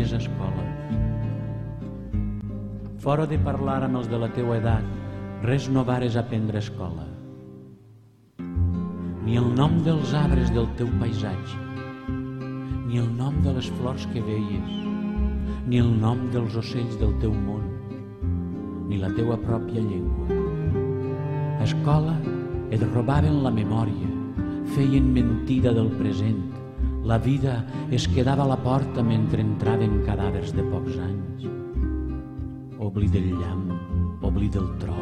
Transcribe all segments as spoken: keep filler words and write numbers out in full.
nostres escoles. Fora de parlar amb els de la teua edat, res no vares aprendre a escola. Ni el nom dels arbres del teu paisatge, ni el nom de les flors que veies, ni el nom dels ocells del teu món, ni la teua pròpia llengua. A escola et robaven la memòria, feien mentida del present. La vida es quedava a la porta mentre entraven cadàvers de pocs anys. Obli del llamp, obli del tro,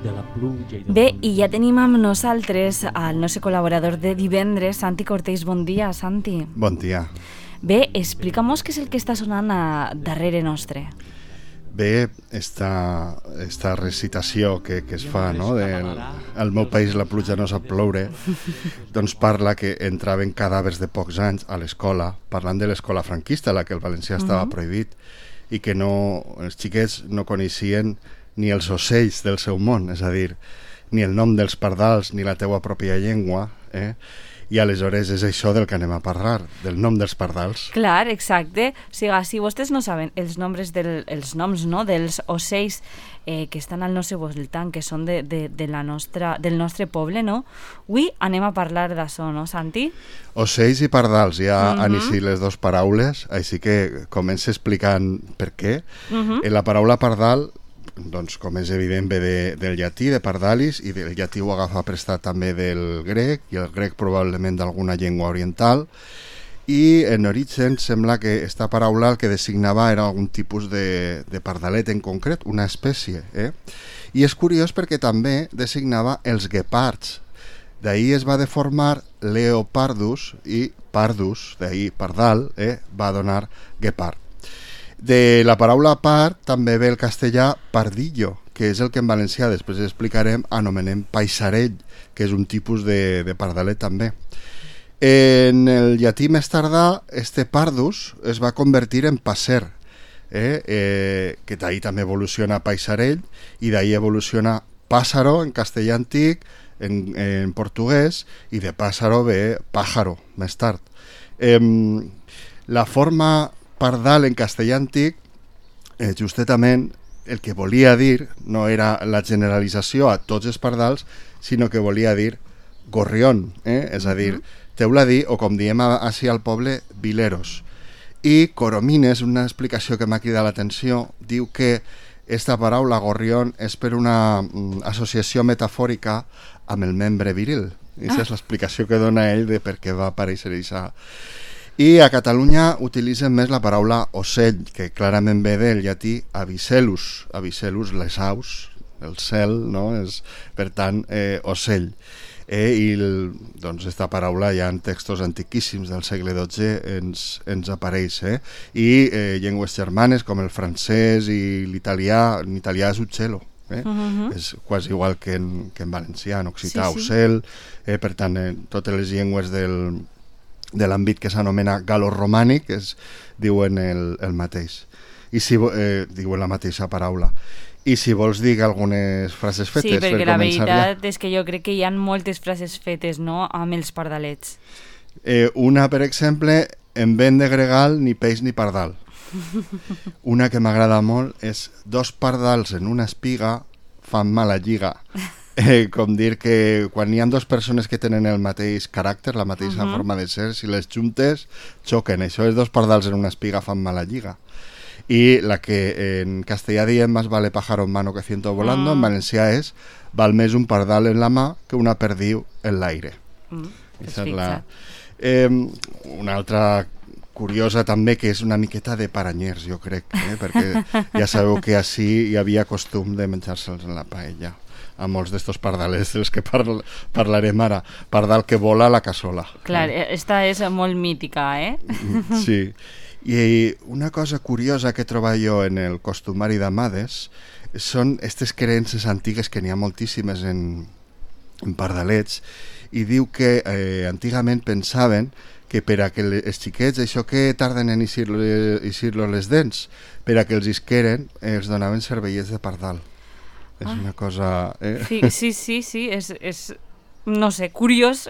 de la pluja i del... Bé, i ja tenim amb nosaltres el nostre col·laborador de divendres, Santi Cortés. Bon dia, Santi. Bon dia. Bé, explica'm-nos què és el que està sonant a darrere nostre. Bé, esta, esta recitació que, que es fa, no?, del al meu país la pluja no sap ploure, doncs parla que entraven cadàvers de pocs anys a l'escola, parlant de l'escola franquista, la que el valencià estava uh-huh. prohibit, i que no, els xiquets no coneixien ni els ocells del seu món, és a dir, ni el nom dels pardals ni la teua pròpia llengua, eh? I aleshores és això del que anem a parlar, del nom dels pardals. Clar, exacte. O sigui, si vostès no saben els noms, del, els noms no, dels ocells eh, que estan al nostre voltant, que són de, de, de la nostra, del nostre poble, no? Avui anem a parlar d'això, no, Santi? Ocells i pardals, ja uh-huh. han eixit les dues paraules, així que comença explicant per què. Uh-huh. En la paraula pardal, doncs, com és evident, ve de, del llatí, de pardalis, i del llatí ho agafa prestat també del grec, i el grec probablement d'alguna llengua oriental, i en origen sembla que esta paraula el que designava era algun tipus de, de pardalet en concret, una espècie. Eh? I és curiós perquè també designava els guepards. D'ahir es va deformar leopardus, i pardus, d'ahir pardal, eh, va donar guepard. De la paraula part també ve el castellà pardillo, que és el que en valencià, després explicarem, anomenem paisarell, que és un tipus de, de pardalet també. En el llatí més tardà, este pardus es va convertir en passer, eh? Eh, que d'ahir també evoluciona paisarell, i d'ahir evoluciona pàssaro en castellà antic, en, en portuguès, i de pàssaro ve pájaro, més tard. Eh, la forma pardal en castellà antic, eh, justament el que volia dir no era la generalització a tots els pardals, sinó que volia dir gorrión, eh? És a dir, teuladí, o com diem així al poble, vileros. I Coromines, una explicació que m'ha cridat l'atenció, diu que esta paraula gorrión és per una mm, associació metafòrica amb el membre viril. I aquesta ah. és l'explicació que dona ell de per què va aparèixer això. I a Catalunya utilitzen més la paraula ocell, que clarament ve del llatí avicellus, avicellus les aus, el cel, no? És, per tant, eh, ocell. Eh, I el, doncs esta paraula ja en textos antiquíssims del segle dotze ens, ens apareix. Eh? I eh, llengües germanes com el francès i l'italià, en italià és uccello. Eh? Uh-huh. És quasi igual que en, que en valencià, en occità, sí, sí. ocel. Eh, per tant, eh, totes les llengües del... de l'àmbit que s'anomena gal·loromànic es diuen el, el mateix, i si eh, diuen la mateixa paraula. I si vols dir algunes frases fetes, sí, perquè per la començar veritat ja. És que jo crec que hi ha moltes frases fetes, no?, amb els pardalets. Eh, una, per exemple, en vent de gregal ni peix ni pardal. Una que m'agrada molt és dos pardals en una espiga fan mala lliga. Eh, com dir que quan hi ha dues persones que tenen el mateix caràcter, la mateixa uh-huh. forma de ser, si les juntes, xoquen. Això és dos pardals en una espiga fan mala lliga. I la que en castellà diem más vale pájaro en mano que ciento volando, uh-huh. en valencià és val més un pardal en la mà que una perdiu en l'aire. Uh-huh. És la... eh, una altra curiosa també, que és una miqueta de paranyers, jo crec, eh? Perquè ja sabeu que així hi havia costum de menjar-se'ls en la paella, a molts d'estos pardalets dels que parl parlarem ara. Pardal que vola a la cassola. Clar, eh? Esta és molt mítica, eh? Sí. I una cosa curiosa que trobo jo en el costumari d'amades són aquestes creences antigues, que n'hi ha moltíssimes en, en pardalets, i diu que eh, antigament pensaven que per a que els xiquets, això que tarden en eixir-los les dents, per a que els isqueren, els donaven cervellets de pardal. És ah. una cosa... Eh? Sí, sí, sí, sí, és, és no sé, curiós,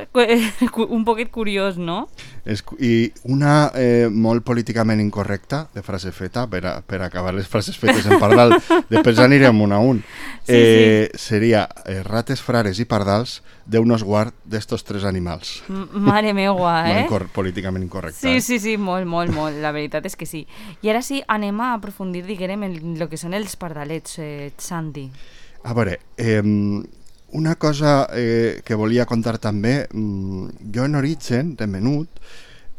un poquet curiós, no? És, I una eh, molt políticament incorrecta, de frase feta, per, a, per acabar les frases fetes en pardal, després anirem un a un, sí, eh, sí. seria eh, rates, frares i pardals, Déu nos guard d'estos tres animals. M Mare meua, eh? Molt incor políticament incorrecta. Sí, eh? sí, sí, molt, molt, molt, la veritat és que sí. I ara sí, anem a aprofundir, diguem, en el que són els pardalets, eh, Santi. A veure, eh, una cosa eh, que volia contar també, mm, jo en origen, de menut,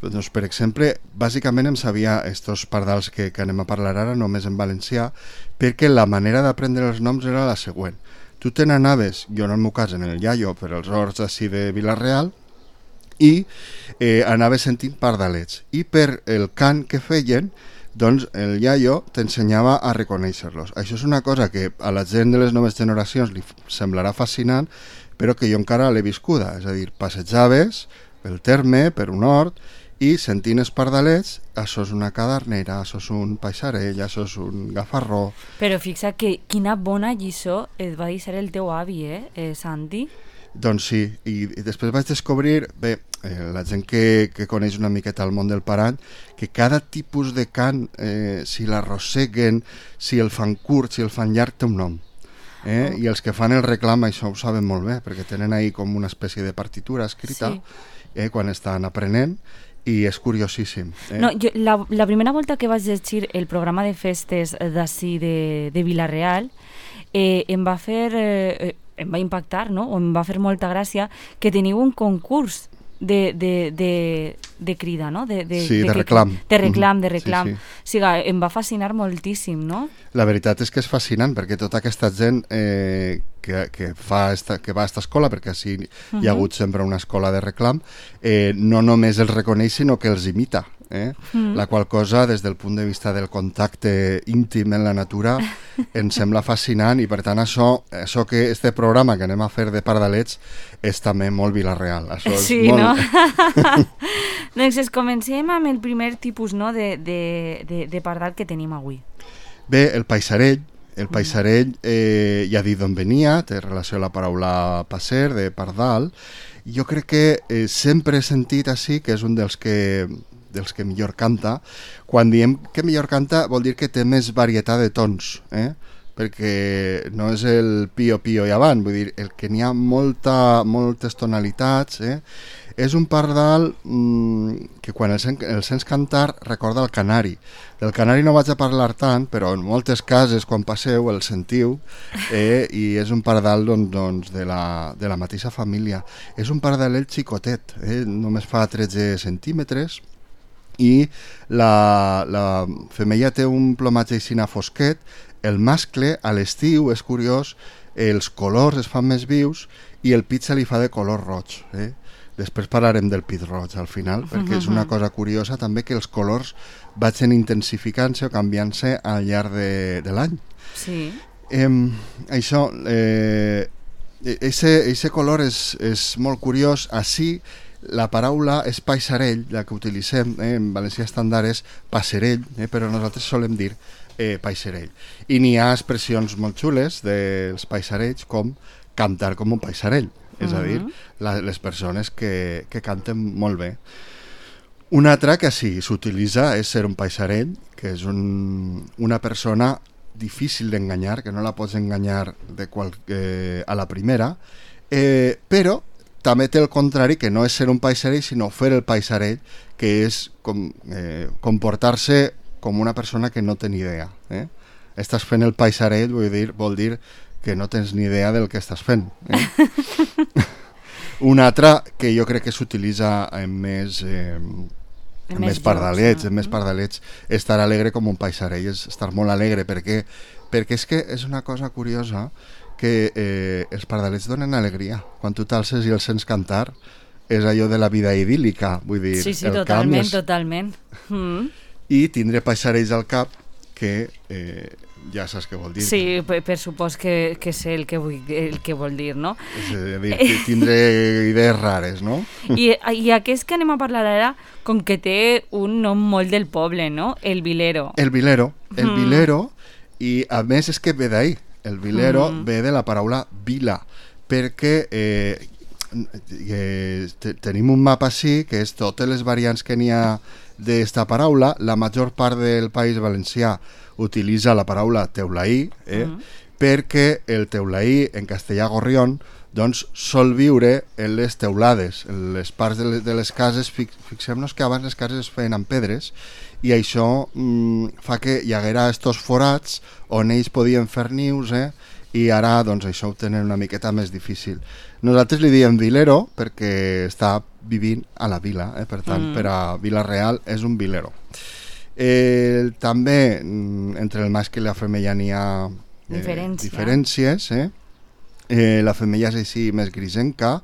doncs, per exemple, bàsicament em sabia estos pardals que, que anem a parlar ara només en valencià, perquè la manera d'aprendre els noms era la següent. Tu te n'anaves, jo en el meu cas en el iaio, per als horts així de Vila-real, i eh, anaves sentint pardalets. I per el cant que feien, doncs el iaio t'ensenyava a reconèixer-los. Això és una cosa que a la gent de les noves generacions li semblarà fascinant, però que jo encara l'he viscuda. És a dir, passejaves pel terme, per un hort, i sentint els pardalets, això és una cadernera, això és un paisarell, això és un gafarró. Però fixa que quina bona lliçó et va deixar el teu avi, eh, eh Santi? Doncs sí, i, i després vaig descobrir, bé, eh, la gent que, que coneix una miqueta el món del parany, que cada tipus de cant, eh, si l'arrosseguen, si el fan curt, si el fan llarg, té un nom. Eh? Oh. I els que fan el reclam això ho saben molt bé, perquè tenen ahí com una espècie de partitura escrita, sí. eh, quan estan aprenent, i és curiosíssim. Eh? No, jo, la, la primera volta que vaig llegir el programa de festes d'ací de, de Vila-real, eh, em va fer... Eh, em va impactar, no? O em va fer molta gràcia que teniu un concurs de, de, de, de crida, no? De, de, sí, de, de reclam. De reclam, de reclam. Sí, sí. O sigui, em va fascinar moltíssim, no? La veritat és que és fascinant, perquè tota aquesta gent eh, que, que, fa esta, que va a esta escola, perquè així uh-huh. hi ha hagut sempre una escola de reclam, eh, no només els reconeix, sinó que els imita. Eh? Mm. La qual cosa, des del punt de vista del contacte íntim en la natura, ens sembla fascinant, i per tant això, això que este programa que anem a fer de pardalets és també molt Vila-real. Això és sí, molt... no? Doncs comencem amb el primer tipus, no, de, de, de, de pardal que tenim avui. Bé, el paisarell. El paisarell, eh, ja ha dit d'on venia, té relació a la paraula passer, de pardal. Jo crec que eh, sempre he sentit així que és un dels que... dels que millor canta. Quan diem que millor canta vol dir que té més varietat de tons, eh? Perquè no és el pio-pio i avant, vull dir, el que n'hi ha molta, moltes tonalitats, eh? És un pardal mmm, que quan el, sen el sents cantar recorda el canari. Del canari no vaig a parlar tant, però en moltes cases quan passeu el sentiu, eh? I és un pardal doncs, doncs, de, la, de la mateixa família. És un pardalet xicotet, eh? Només fa tretze centímetres, i la, la femella té un plomatge aixina fosquet. El mascle a l'estiu és curiós, els colors es fan més vius i el pit se li fa de color roig, eh? Després parlarem del pit roig al final, perquè és una cosa curiosa també que els colors vagin intensificant-se o canviant-se al llarg de, de l'any. Sí. Eh, això, eh, ese, ese color és, és molt curiós. Així, la paraula és paisarell, la que utilitzem, eh, en valencià estàndard és passerell, eh, però nosaltres solem dir eh, paisarell. I n'hi ha expressions molt xules dels paisarells com cantar com un paisarell, és a dir, la, les persones que, que canten molt bé. Una altra que sí s'utilitza és ser un paisarell, que és un, una persona difícil d'enganyar, que no la pots enganyar de qual, eh, a la primera, eh, però també té el contrari, que no és ser un paisarell, sinó fer el paisarell, que és com, eh, comportar-se com una persona que no té ni idea. Eh? Estàs fent el paisarell, vull dir, vol dir que no tens ni idea del que estàs fent. Eh? Una altra que jo crec que s'utilitza en més... Eh, en més, més pardalets, en més pardalets, estar alegre com un paisarell, és estar molt alegre, perquè, perquè és que és una cosa curiosa que eh, els pardalets donen alegria. Quan tu t'alces i els sents cantar, és allò de la vida idíl·lica, vull dir... Sí, sí, el totalment, és... totalment. Mm. I tindre paisarells al cap que eh, ja saps què vol dir. Sí, per, per supòs que, que sé el que, vull, el que vol dir, no? És a dir, tindre idees rares, no? I, I aquest que anem a parlar ara, com que té un nom molt del poble, no? El Vilero. El Vilero, el mm. Vilero, i a més és que ve d'ahí. El Vilero mm. ve de la paraula vila, perquè eh, eh, te, tenim un mapa així, que és totes les variants que n'hi ha d'esta paraula. La major part del País Valencià utilitza la paraula teulaí, eh? Mm. perquè el teulaí, en castellà gorrión, doncs sol viure en les teulades, en les parts de les, de les cases. Fixem-nos que abans les cases es feien amb pedres, i això mm, fa que hi haguera estos forats on ells podien fer nius, eh? i ara doncs, això ho tenen una miqueta més difícil. Nosaltres li diem vilero perquè està vivint a la vila, eh? per tant, mm. per a Vila-real és un vilero. Eh, també entre el mascle i la femella n'hi ha eh, Diferència. diferències. Eh? Eh, la femella és així més grisenca,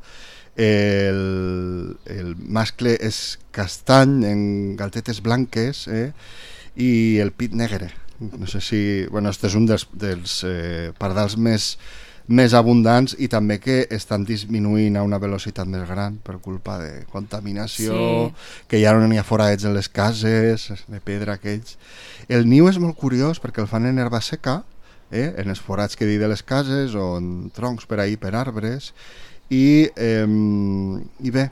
el, el mascle és castany en galtetes blanques, eh? i el pit negre. No sé si... Bueno, este és un dels, dels eh, pardals més, més abundants, i també que estan disminuint a una velocitat més gran per culpa de contaminació, sí. que ja no n'hi ha forats en les cases, de pedra aquells. El niu és molt curiós perquè el fan en herba seca, eh, en els forats que he dit de les cases, o en troncs per ahir, per arbres, i, eh, i bé,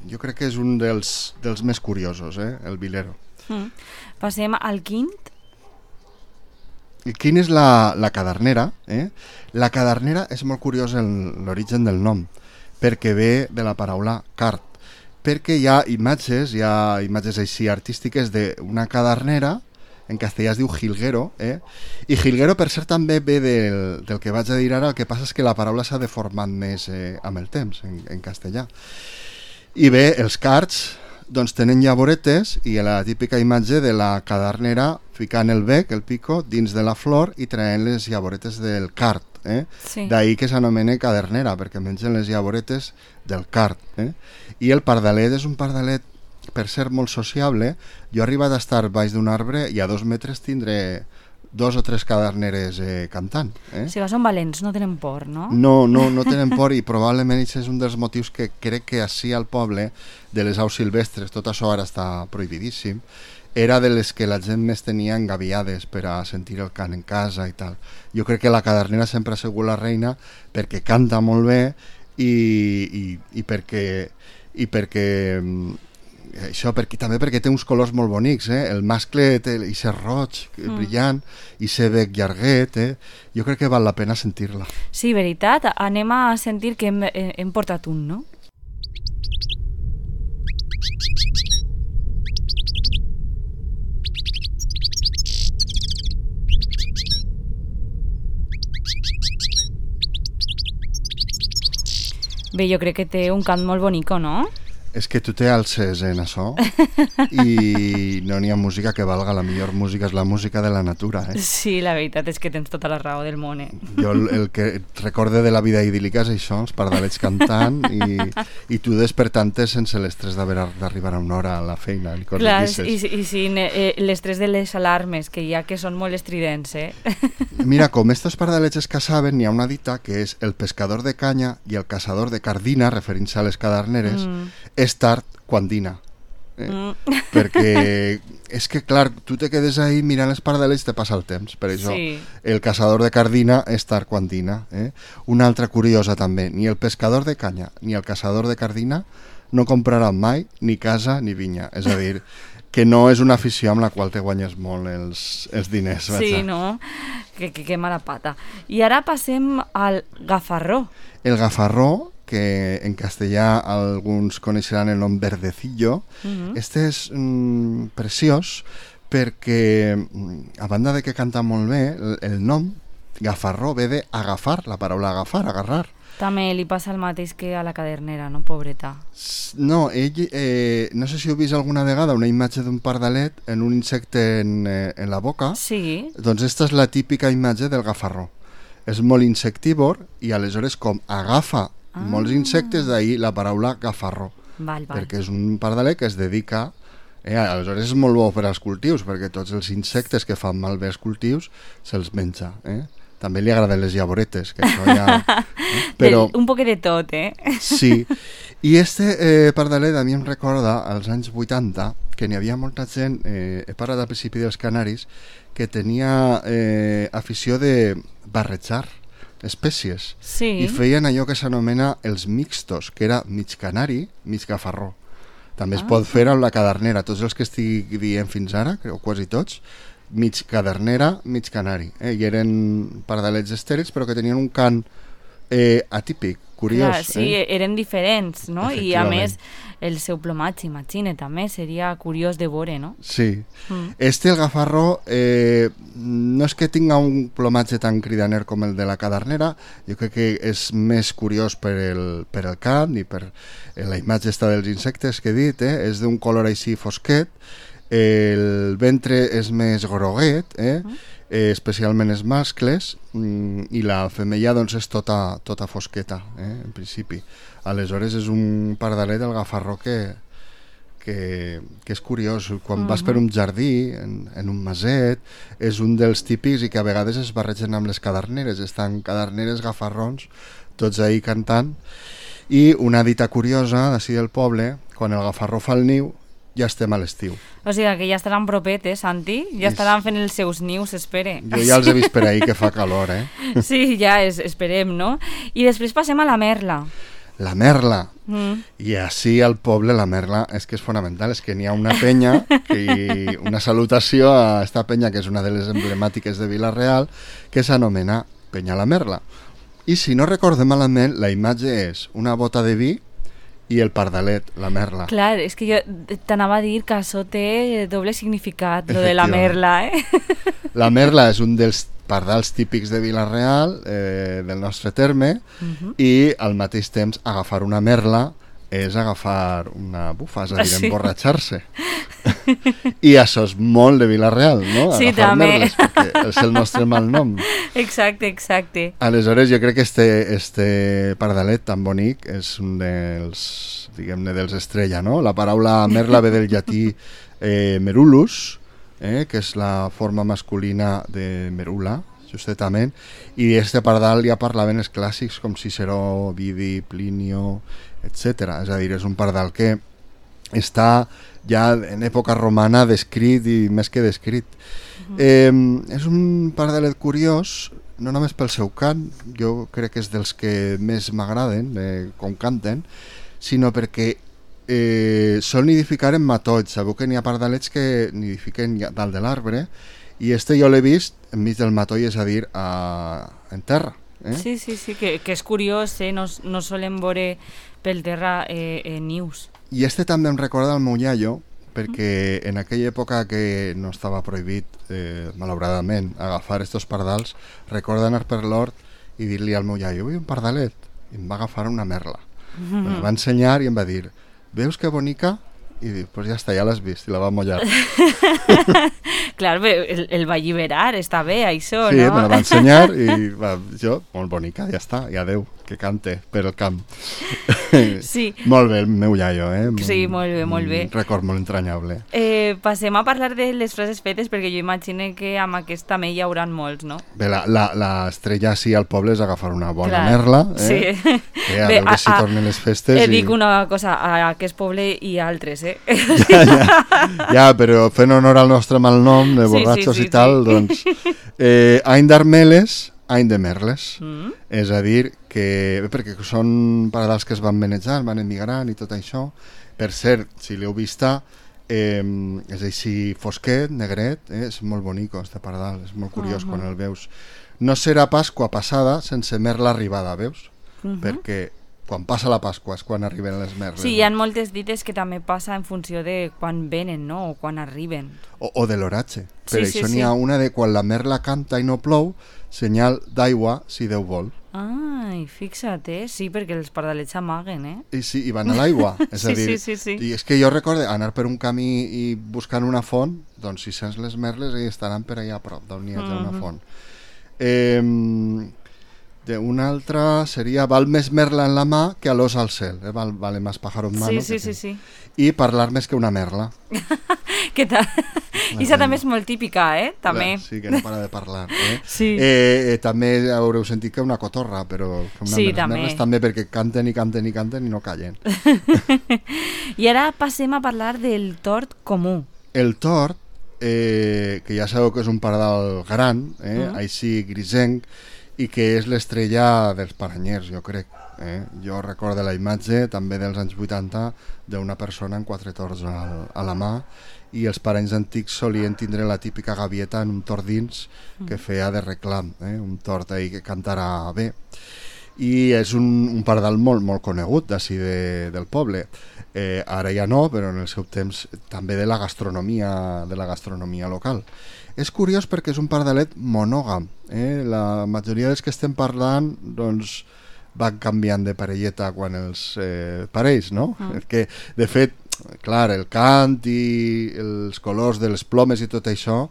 jo crec que és un dels, dels més curiosos, eh, el vilero. Mm. Passem al quint. Quin és la, la cadernera? Eh? La cadernera és molt curiós l'origen del nom, perquè ve de la paraula cart, perquè hi ha imatges, hi ha imatges així artístiques d'una cadernera, en castellà es diu jilguero, eh? i jilguero per cert també ve del, del que vaig a dir ara, el que passa és que la paraula s'ha deformat més eh, amb el temps, en, en castellà. I bé, els carts doncs tenen llavoretes, i la típica imatge de la cadernera ficant el bec, el pico, dins de la flor i traient les llavoretes del cart. Eh? Sí. D'ahir que s'anomena cadernera, perquè mengen les llavoretes del cart. Eh? I el pardalet és un pardalet, per ser molt sociable. Jo he arribat a estar baix d'un arbre i a dos metres tindré dos o tres caderneres eh, cantant. Eh? O sigui, són valents, no tenen por, no? No, no, no tenen por, i probablement això és un dels motius que crec que així al poble de les aus silvestres, tot això ara està prohibidíssim, era de les que la gent més tenia engaviades per a sentir el cant en casa i tal. Jo crec que la cadernera sempre ha sigut la reina perquè canta molt bé i, i, i perquè, i perquè això perquè, també perquè té uns colors molt bonics, eh? El mascle té i ser roig, mm. brillant, i ser bec llarguet, eh? Jo crec que val la pena sentir-la. Sí, veritat, anem a sentir que hem, hem portat un, no? Bé, jo crec que té un cant molt bonico, no? És que tu te alces en això i no n'hi ha música que valga. La millor música és la música de la natura, eh? Sí, la veritat és que tens tota la raó del món, eh? Jo el, el que recorde de la vida idíl·lica és això, els pardalets cantant i, i tu despertant-te sense l'estrès d'arribar a una hora a la feina. Clar, i, i sin eh, l'estrès de les alarmes, que ja que són molt estridents, eh? Mira, com estos pardalets es caçaven, hi ha una dita que és el pescador de canya i el caçador de cardina, referint-se a les caderneres, mm. és tard quan dina. Eh? Mm. Perquè és que, clar, tu te quedes ahí mirant els pardalets, te passa el temps. Per això sí. El caçador de cardina és tard quan dina. Eh? Una altra curiosa també, ni el pescador de canya ni el caçador de cardina no compraran mai ni casa ni vinya. És a dir, que no és una afició amb la qual te guanyes molt els, els diners. Sí, no? Que, que, que mala pata. I ara passem al gafarró. El gafarró, que en castellà alguns coneixeran el nom verdecillo. Uh-huh. Este és mm, preciós perquè, a banda de que canta molt bé, el, el nom gafarró ve de agafar, la paraula agafar, agarrar. També li passa el mateix que a la cadernera, no, pobreta? No, ell, eh, no sé si heu vist alguna vegada una imatge d'un pardalet en un insecte en, eh, en la boca. Sí. Doncs esta és la típica imatge del gafarró. És molt insectívor i aleshores com agafa ah. molts insectes, d'ahir la paraula gafarró. Val, val. Perquè és un pardalet que es dedica... Eh, aleshores és molt bo per als cultius, perquè tots els insectes que fan malbé els cultius se'ls menja. Eh? També li agraden les llavoretes, que això ja... Eh? Però... Un poc de tot, eh? Sí. I este eh, pardalet a mi em recorda als anys vuitanta que n'hi havia molta gent, eh, he parlat al principi dels canaris, que tenia eh, afició de barrejar espècies. Sí. I feien allò que s'anomena els mixtos, que era mig canari, mig gafarró. També es Ah. pot fer amb la cadernera. Tots els que estic dient fins ara, creu quasi tots, mig cadernera, mig canari. Eh? I eren pardalets estèrils, però que tenien un cant eh, atípic, curiós. Clar, sí, eh? eren diferents, no? I a Efectivament. més, el seu plomatge, imagina, també seria curiós de veure, no? Sí. Mm. Este, el gafarró, eh, no és que tinga un plomatge tan cridaner com el de la cadernera, jo crec que és més curiós per el, per el cant i per eh, la imatge esta dels insectes que he dit, eh? És d'un color així fosquet, el ventre és més groguet, eh? Mm. Eh, especialment els mascles, mm, i la femella doncs és tota, tota fosqueta, eh? En principi. Aleshores és un pardalet, el gafarró, que, que, que és curiós. Quan uh-huh. vas per un jardí, en, en un maset, és un dels típics i que a vegades es barregen amb les caderneres. Estan caderneres, gafarrons, tots ahí cantant. I una dita curiosa d'ací del poble, quan el gafarró fa el niu, ja estem a l'estiu. O sigui que ja estaran propetes, Santi, ja estaran fent els seus nius, espere. Jo ja els he vist per ahí que fa calor, eh? Sí, ja es, esperem, no? I després passem a la merla. La merla. Mm. I així al poble la merla és que és fonamental, és que n'hi ha una penya i una salutació a esta penya, que és una de les emblemàtiques de Vila-real, que s'anomena Penya la Merla. I si no recordem malament, la imatge és una bota de vi i el pardalet, la merla. Clar, és que jo t'anava a dir que això té doble significat, lo de la merla, eh? La merla és un dels pardals típics de Vila-real, eh, del nostre terme, uh-huh. i al mateix temps agafar una merla és agafar una bufa, és a dir, sí. emborratxar-se. I això és molt de Vila-real, no? Sí, agafar també. merles, perquè és el nostre malnom. Exacte, exacte. Aleshores, jo crec que este, este pardalet tan bonic és un dels, diguem-ne, dels estrella, no? La paraula merla ve del llatí eh, merulus, eh, que és la forma masculina de merula, justament, i este pardal ja parlaven els clàssics com Ciceró, Ovidi, Plinio, etcètera. És a dir, és un pardal que està ja en època romana descrit i més que descrit. Uh-huh. Eh, és un pardalet curiós, no només pel seu cant, jo crec que és dels que més m'agraden, eh, com canten, sinó perquè eh, sol nidificar en matolls. Sabeu que n'hi ha pardalets que nidifiquen dalt de l'arbre, i este jo l'he vist enmig del matoll, és a dir, a, en terra. Eh? Sí, sí, sí, que, que és curiós, eh? no, no solen veure pel terra eh, eh, nius. I este també em recorda el meu iaio, perquè en aquella època que no estava prohibit, eh, malauradament, agafar estos pardals, recorda anar per l'hort i dir-li al meu iaio, vull un pardalet, i em va agafar una merla. Mm-hmm. Em va ensenyar i em va dir, veus que bonica? I dic, pues ja està, ja l'has vist, i la va mullar. Clar, el, el va alliberar, està bé, això, sí, no? Sí, me la va ensenyar i va, jo, molt bonica, ja està, i adeu, que cante per el camp. Sí. Molt bé, el meu iaio, eh? Sí, molt bé, molt bé. Un record molt entranyable. Eh, passem a parlar de les frases fetes, perquè jo imagino que amb aquest també hi haurà molts, no? Bé, l'estrella sí al poble és agafar una bona Clar, merla, eh? Sí. Eh, a Bé, veure a, si tornen les festes. Eh, i... dic una cosa, a aquest poble i a altres, eh? Ja, ja, ja, però fent honor al nostre malnom de borratxos sí, sí, sí, i tal, sí. doncs eh, any d'armeles, any de merles. Mm. És a dir, que bé, perquè són pardals que es van manejant, van emigrant i tot això. Per cert, si l'heu vista, eh, és així fosquet, negret, eh, és molt bonic este pardal, és molt curiós uh-huh. quan el veus. No serà Pasqua passada sense merla arribada, veus? Uh-huh. Perquè quan passa la Pasqua és quan arriben les merles. Sí, hi ha moltes dites que també passa en funció de quan venen, no? O quan arriben. O, o de l'oratge. Per Sí, això sí, n'hi ha sí. una de quan la merla canta i no plou, senyal d'aigua si Déu vol. Ai, fixa't, eh? Sí, perquè els pardalets s'amaguen, eh? I sí, i van a l'aigua. És Sí, a dir, sí, sí, sí. I és que jo recordo anar per un camí i buscant una font, doncs si sents les merles hi estaran per allà a prop, d'on hi ha una Mhm. font. Eh, de una altra seria val més merla en la mà que a l'os al cel, eh? Val, vale más pájaro en mano. Sí, sí, que sí, sí. sí. I parlar més que una merla. Què tal? I això també és molt típica, eh? També. Sí, que no para de parlar. Eh? Sí. Eh, eh, també haureu sentit que una cotorra, però que una Sí, les també. merles també perquè canten i canten i canten i no callen. I ara passem a parlar del tord comú. El tord, eh, que ja sabeu que és un pardal gran, eh, Mm. així grisenc, i que és l'estrella dels paranyers, jo crec. Eh? Jo recordo la imatge també dels anys vuitanta d'una persona amb quatre tords al, a la mà, i els paranys antics solien tindre la típica gavieta en un tord dins que feia de reclam, eh? Un tord ahí que cantarà bé. I és un, un pardal molt, molt conegut d'ací de, del poble. Eh, ara ja no, però en el seu temps també de la gastronomia, de la gastronomia local. És curiós perquè és un pardalet monògam. Eh? La majoria dels que estem parlant doncs, van canviant de parelleta quan els eh, parells, no? Mm. Que, de fet, clar, el cant i els colors de les plomes i tot això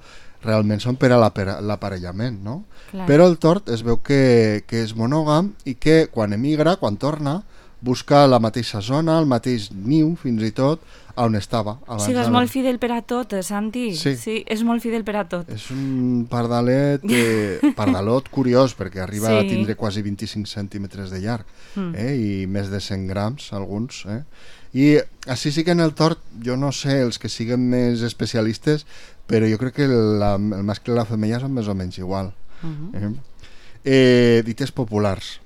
realment són per a l'aparellament, no? Clar. Però el tord es veu que, que és monògam i que quan emigra, quan torna, busca la mateixa zona, el mateix niu, fins i tot, on estava. O sigui, és molt fidel per a tot, Santi. Sí. Sí, és molt fidel per a tot. És un pardalet, eh, pardalot curiós, perquè arriba sí. a tindre quasi vint-i-cinc centímetres de llarg, mm. eh, i més de cent grams, alguns. Eh? I així sí que en el tord, jo no sé, els que siguen més especialistes, però jo crec que la, el mascle i la femella són més o menys igual. Uh-huh. eh? Eh, dites populars.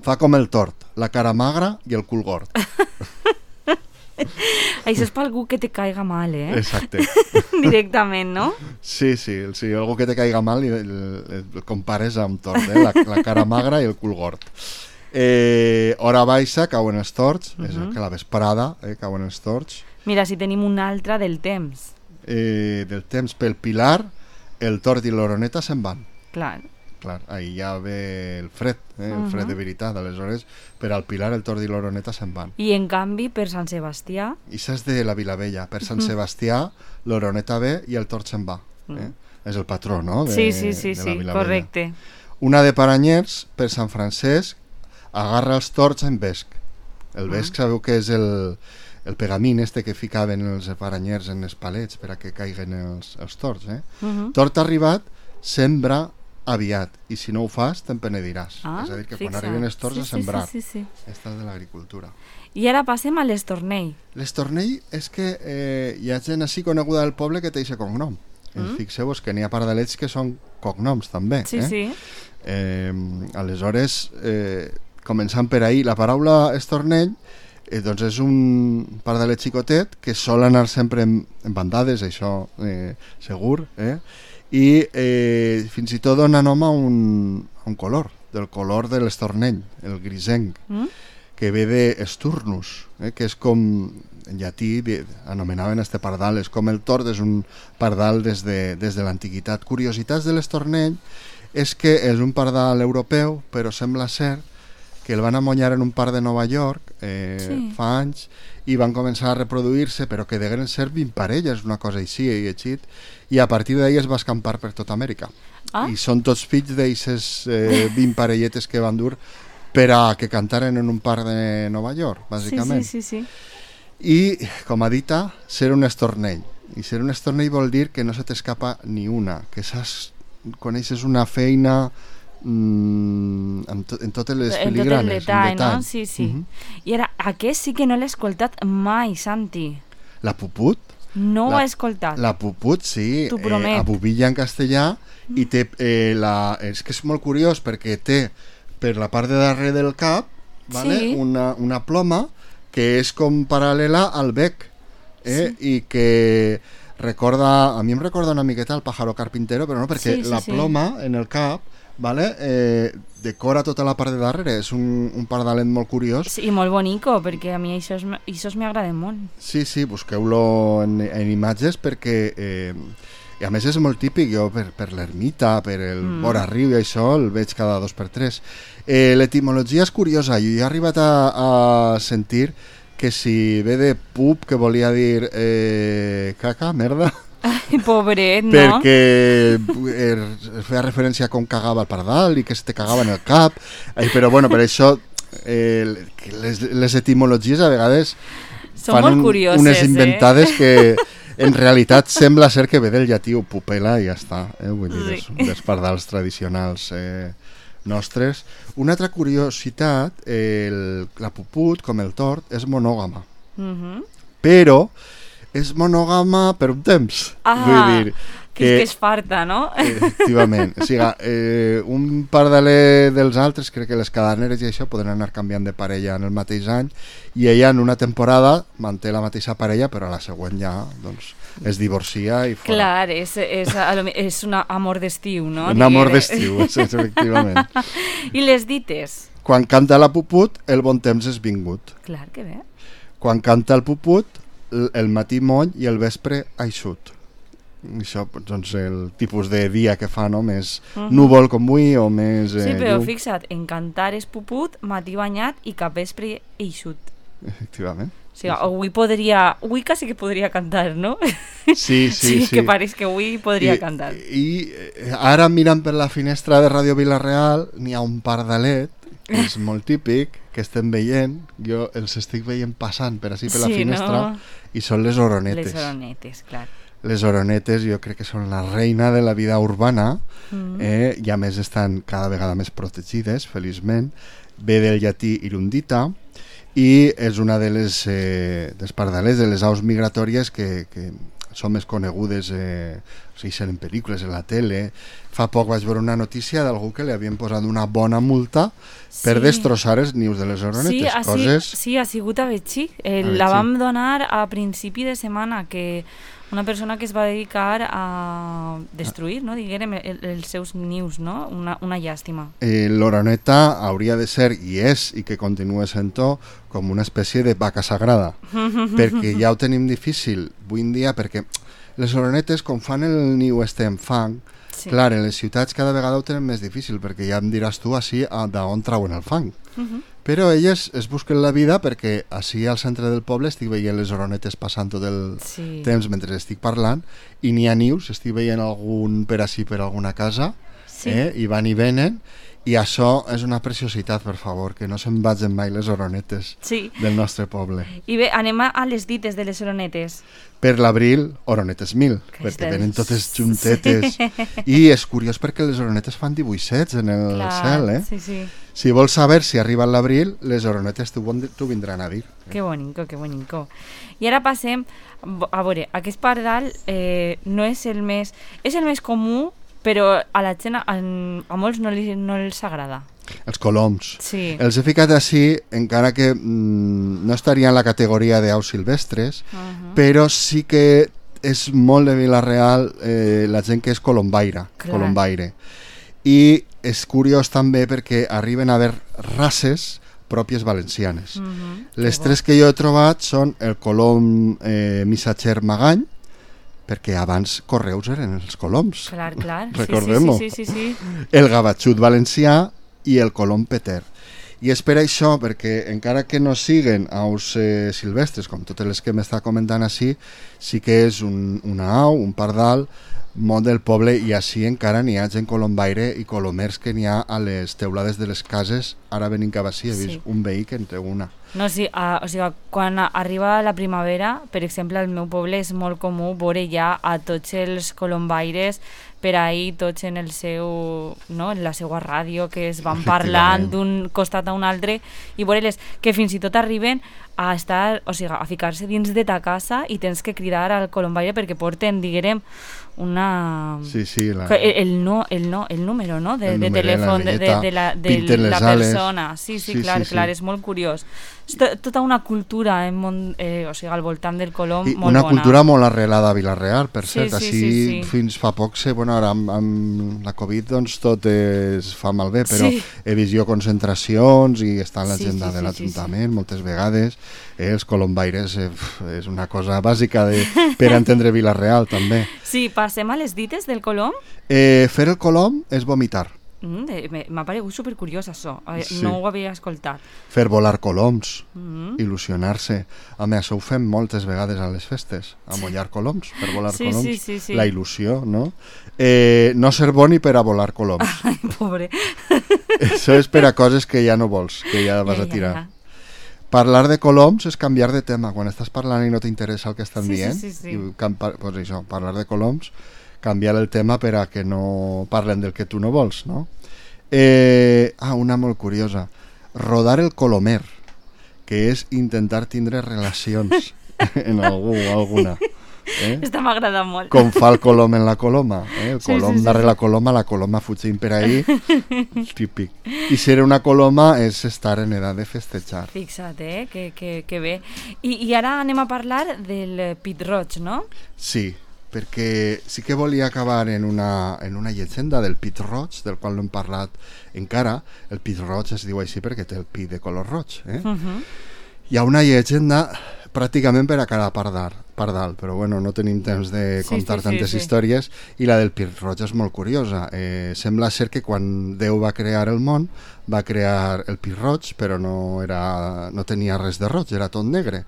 Fa com el tord, la cara magra i el cul gord. Això és per algú que te caiga mal, eh? Exacte. Directament, no? Sí, sí, sí, algú que te caiga mal i el, el, el compares amb tord, eh? la, la cara magra i el cul gord. Eh, hora baixa, cauen els tords, uh-huh. és que la vesprada eh, cauen els tords. Mira, si tenim una altra del temps. Eh, del temps, pel Pilar, el tord i l'oroneta se'n van. Clar. Clar, ahí ja ve el fred, eh, el fred uh-huh. de veritat, aleshores per al Pilar el tord i l'oroneta se'n van. I en canvi per Sant Sebastià... I és de la Vilavella, per Sant uh-huh. Sebastià l'oroneta ve i el tord se'n va. Eh? Uh-huh. És el patró, no? De, sí, sí, sí, de sí, correcte. Una de Paranyers, per Sant Francesc, agarra els tords en vesc. El vesc uh-huh. sabeu que és el, el pegamín este que ficaven els paranyers en els palets per a que caiguen els, els tords. Eh? Uh-huh. Tord arribat, sembra aviat, i si no ho fas te'n penediràs. Ah, és a dir, que fixa. Quan arriben els tords sí, a sembrar. Sí, sí, sí, sí. Esta és de l'agricultura. I ara passem a l'estornell. L'estornell és que eh, hi ha gent així coneguda del poble que té aquest cognom. Mm. Fixeu-vos que n'hi ha pardalets que són cognoms també. Sí, eh? sí. Eh, aleshores, eh, començant per ahir, la paraula estornell eh, doncs és un pardalet xicotet que sol anar sempre en, en bandades, això eh, segur, eh? I eh, fins i tot dona nom a un, a un color, del color de l'estornell, el grisenc, mm? que ve d'esturnus, eh, que és com, en llatí anomenaven este pardal, és com el tord, és un pardal des de, des de l'antiguitat. Curiositats de l'estornell és que és un pardal europeu, però sembla ser que el van amonyar en un parc de Nova York eh, sí. fa anys, i van començar a reproduir-se, però que degueren ser vint parelles, una cosa així, i eixit, i a partir d'ahir es va escampar per tota Amèrica. Ah? I són tots fills d'aixes eh, vint parelletes que van dur per a que cantaren en un parc de Nova York, bàsicament. Sí, sí, sí, sí. I, com ha dit, ser un estornell. I ser un estornell vol dir que no se t'escapa ni una, que saps, coneixes una feina... Mm, en, to, en totes les en filigranes, tot el detall, no? Sí, sí. Uh-huh. I ara, aquest sí que no l'he escoltat mai, Santi. La puput? No la, ho he escoltat. La puput, sí, t'ho promet. Eh, a Bubilla en castellà, mm. i té eh, la... És que és molt curiós perquè té per la part de darrere del cap, vale? Sí. una, una ploma que és com paral·lela al bec, eh? Sí. I que recorda, a mi em recorda una miqueta el pájaro carpintero, però no, perquè sí, sí, la ploma sí. en el cap, vale? eh, decora tota la part de darrere, és un, un pardalet molt curiós. Sí, i molt bonico, perquè a mi això, és, això m'agrada molt. Sí, sí, busqueu-lo en, en imatges perquè eh, i a més és molt típic, jo per, per l'ermita, per el mm. vora riu i això el veig cada dos per tres. Eh, l'etimologia és curiosa, jo he arribat a, a sentir que si ve de pup, que volia dir eh, caca, merda. Ai, pobret, no? Perquè eh, feia referència a com cagava el pardal i que se te cagava en el cap, eh, però bueno, per això eh, les, les etimologies a vegades són fan un, unes inventades eh? que en realitat sembla ser que ve del llatí o pupela i ja està, eh? Vull dir, sí. dels, dels pardals tradicionals eh, nostres. Una altra curiositat, eh, el, la puput, com el tord, és monògama, uh-huh. però és monògama per un temps. Ah, Vull dir, que, que és farta, no? Efectivament. O sigui, eh, un pardaler dels altres, crec que les caderneres i això poden anar canviant de parella en el mateix any, i ella en una temporada manté la mateixa parella, però a la següent ja doncs, es divorcia i fora. Clar, és, és, és un amor d'estiu, no? Un amor d'estiu, és, efectivament. I les dites? Quan canta la puput, el bon temps és vingut. Clar, que bé. Quan canta el puput, el matí moll i el vespre eixut. Això, doncs, el tipus de dia que fa, no? Més uh -huh. núvol com avui o més... Eh, sí, però llum. fixa't, en cantar és puput, matí banyat i capvespre eixut. Efectivament. O sigui, avui podria... Avui quasi que podria cantar, no? Sí, sí, sí. Sí, que pareix que avui podria I, cantar. I ara mirant per la finestra de Ràdio Vila-real n'hi ha un pardalet, que és molt típic, que estem veient, jo els estic veient passant per així per la Sí, finestra, no? i són les oronetes. Les oronetes, clar. Les oronetes jo crec que són la reina de la vida urbana, mm. eh, i a més estan cada vegada més protegides, feliçment. Ve del llatí irundita i és una de les eh, dels pardalers, de les aus migratòries que, que són més conegudes, eh, o sigui, en pel·lícules, en la tele. Fa poc vaig veure una notícia d'algú que li havien posat una bona multa sí. per destrossar els nius de les oronetes. Sí, ha, coses... sí, ha sigut a Betxí. Eh, a la Betxí. vam donar a principi de setmana, que una persona que es va dedicar a destruir, no, diguem, el, els seus nius, no? Una, una llàstima. Eh, L'oroneta hauria de ser, i és, i que continua sent-ho, com una espècie de vaca sagrada, perquè ja ho tenim difícil avui en dia, perquè les oronetes, com fan el niu este en fang, sí. clar, en les ciutats cada vegada ho tenen més difícil, perquè ja em diràs tu així d'on trauen el fang. Uh -huh. Però elles es busquen la vida perquè així al centre del poble estic veient les oronetes passant tot el sí. temps mentre estic parlant, i n'hi ha nius, estic veient algun per així per alguna casa, sí. eh, i van i venen, i això és una preciositat, per favor, que no se'n vagin mai les oronetes sí. del nostre poble. I bé, anem a les dites de les oronetes. Per l'abril, oronetes mil, que perquè estem... venen totes juntetes. Sí. I és curiós perquè les oronetes fan dibuixets en el Clar, cel, eh? Sí, sí. Si vols saber si arriba l'abril, les oronetes t'ho vindran a dir. Eh? Que bonico, que bonico. I ara passem, a veure, aquest pardal eh, no és el més... És el més comú, però a la gent, a, a molts no, li, no els agrada. Els coloms. Sí. Els he ficat així, encara que mm, no estaria en la categoria d'aus silvestres, uh -huh. però sí que és molt de Vila-real eh, la gent que és colombaire, colombaire. I és curiós també perquè arriben a haver races pròpies valencianes. Uh -huh. Les que tres bo. que jo he trobat són el colom eh, missatger magany, perquè abans correus eren els coloms. Clar, clar. Recordem-ho. Sí, sí, sí, sí, sí. El gavatxut valencià i el colom peter. I és per això, perquè encara que no siguen aus eh, silvestres, com totes les que m'està comentant així, sí que és un, una au, un pardal, molt del poble, i així encara n'hi ha gent colombaire i colomers que n'hi ha a les teulades de les cases. Ara venint cap així he vist sí. un veí que en té una. No, sí, uh, o sigui, quan arriba la primavera, per exemple, al meu poble és molt comú veure ja a tots els colombaires per ahir, tots en el seu, no, en la seva ràdio, que es van parlant d'un costat a un altre, i veure-les que fins i tot arriben a estar, o sigui, a ficar-se dins de ta casa i tens que cridar al colombaire perquè porten, diguem, una... Sí, sí, la... el, el, no, el, no, el número, no?, de, el de número, telèfon la de, de, de la, de la persona. Sí, sí, sí, clar, sí, clar, sí. És molt curiós. És tota una cultura en món, eh, o sigui, al voltant del colom I molt una bona. cultura molt arrelada a Vila-real, per sí, cert, sí, així sí, sí. fins fa poc sé, bueno, ara amb, amb la Covid doncs tot es fa malbé, però sí. he vist jo concentracions i està en l'agenda sí, sí, de l'Ajuntament sí, sí. moltes vegades, eh, els colombaires eh, és una cosa bàsica de, per entendre Vila-real també. Sí, passem a les dites del colom? Eh, fer el colom és vomitar. Mm, m'ha paregut supercuriós això, sí. no ho havia escoltat. Fer volar coloms, mm. il·lusionar-se. Home, això ho fem moltes vegades a les festes, amollar coloms, per volar sí, coloms. Sí, sí, sí. La il·lusió, no? Eh, no ser boni per a volar coloms. Ai, pobre. Això és per a coses que ja no vols, que ja vas ja, a tirar. Ja, ja. Parlar de coloms és canviar de tema. Quan estàs parlant i no t'interessa el que estan sí, dient, sí, sí, sí. i campa, pues això, parlar de coloms, canviar el tema per a que no parlen del que tu no vols, no? Eh, ah, una molt curiosa. Rodar el colomer, que és intentar tindre relacions. en algú o alguna. Eh? Esta m'agrada molt. Com fa el colom en la coloma. Eh? El Sí, colom sí, sí, darrere sí. la coloma, la coloma fugint per ahí. Típic. I ser una coloma és estar en edat de festejar. Fixa't, eh? Que, que, que bé. I, I ara anem a parlar del pit roig, no? Sí, perquè sí que volia acabar en una, en una llegenda del pit roig, del qual no hem parlat encara. El pit roig es diu així perquè té el pit de color roig. Eh? Uh -huh. Hi ha una llegenda pràcticament per a cada pardal, pardal, però bueno, no tenim temps de Sí, contar sí, sí, tantes sí. històries, i la del pit roig és molt curiosa. Eh, sembla ser que quan Déu va crear el món va crear el pit roig, però no, era, no tenia res de roig, era tot negre,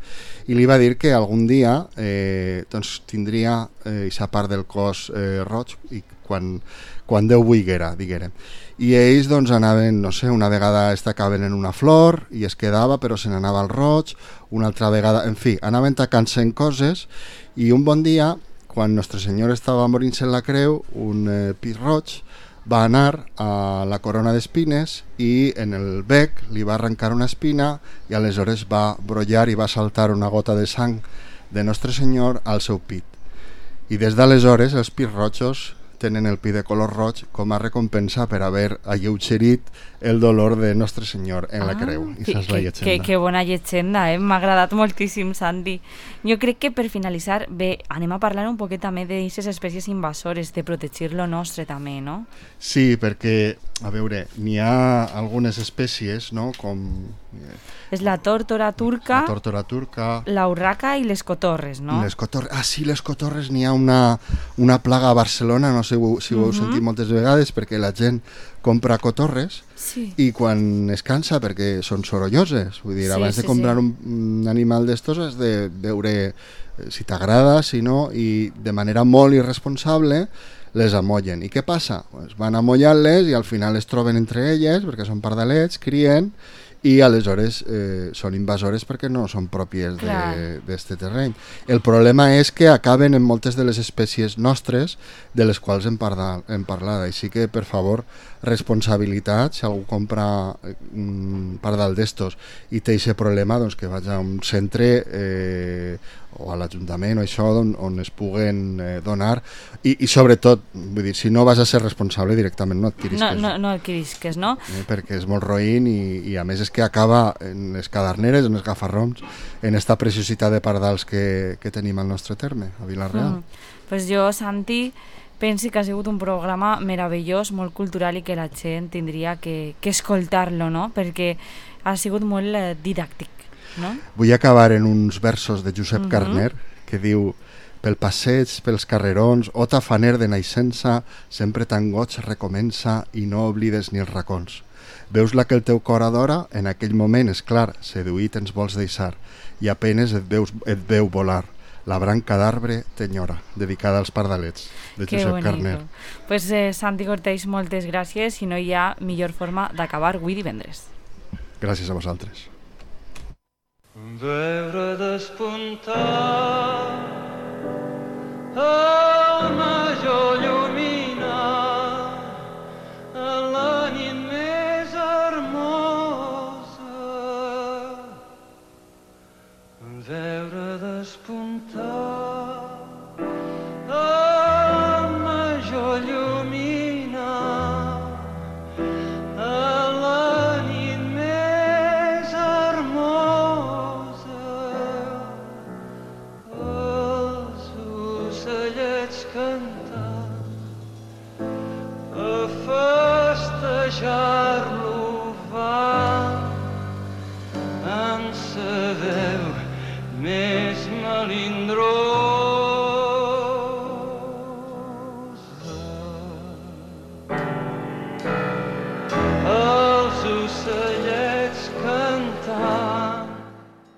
i li va dir que algun dia eh, doncs tindria aquesta eh, part del cos eh, roig i quan, quan Déu volguera, diguérem. I ells doncs anaven, no sé, una vegada estacaven en una flor i es quedava però se n'anava al roig, una altra vegada, en fi, anaven tacant-se en coses, i un bon dia, quan Nostre Senyor estava morint-se en la creu, un eh, pit roig va anar a la corona d'espines i en el bec li va arrencar una espina i aleshores va brollar i va saltar una gota de sang de Nostre Senyor al seu pit. I des d'aleshores els pits rojos tenen el pit de color roig com a recompensa per haver alleugerit el dolor de Nostre Senyor en la creu. I que, això és la que, llegenda. que, que bona llegenda, eh? M'ha agradat moltíssim, Santi. Jo crec que per finalitzar, bé, anem a parlar un poquet també d'aquestes espècies invasores, de protegir lo nostre també, no? Sí, perquè, a veure, n'hi ha algunes espècies, no?, com És la tórtora turca, la tórtora turca, la urraca i les cotorres, no? les cotorres. Ah, sí, les cotorres, n'hi ha una, una plaga a Barcelona, no sé si ho, si ho heu Mhm. sentit moltes vegades, perquè la gent compra cotorres Sí. i quan es cansa, perquè són sorolloses, vull dir, Sí, abans sí, de comprar sí. un, un animal d'estos has de veure eh, si t'agrada, si no, i de manera molt irresponsable les amollen. I què passa? Pues van amollant-les i al final es troben entre elles, perquè són pardalets, crien, i aleshores eh, són invasores perquè no són pròpies Clar. d'aquest terreny. El problema és que acaben en moltes de les espècies nostres de les quals hem, parlat, hem parlat. Així que, per favor, responsabilitat. Si algú compra un pardal d'estos i té aquest problema, doncs que vagi a un centre eh, o a l'Ajuntament o això on, on es puguen eh, donar i, i sobretot, vull dir, si no vas a ser responsable directament no adquirisques, No, no, no adquirisques, no? eh, perquè és molt roïn i, i a més és que acaba en les caderneres, en els gafarrons, en esta preciositat de pardals que, que tenim al nostre terme, a Vila-real. Mm. Pues jo, Santi, pensi que ha sigut un programa meravellós, molt cultural i que la gent tindria que, que escoltar-lo, no? Perquè ha sigut molt eh, didàctic, no? Vull acabar en uns versos de Josep Mhm. Carner que diu: pel passeig, pels carrerons, o tafaner de naixença, sempre tan goig recomença i no oblides ni els racons. Veus la que el teu cor adora, en aquell moment, és clar, seduït ens vols deixar, i apenes et, veus, et veu volar. La branca d'arbre t'enyora, dedicada als pardalets, de Que Josep bonico. Carner. Pues eh, Santi Cortés, moltes gràcies i no hi ha millor forma d'acabar avui divendres. Gràcies a vosaltres. Veure despuntar el major llumina en la nit més hermosa. Veure despuntar el major llumina en la nit més hermosa. Els ocellets cantant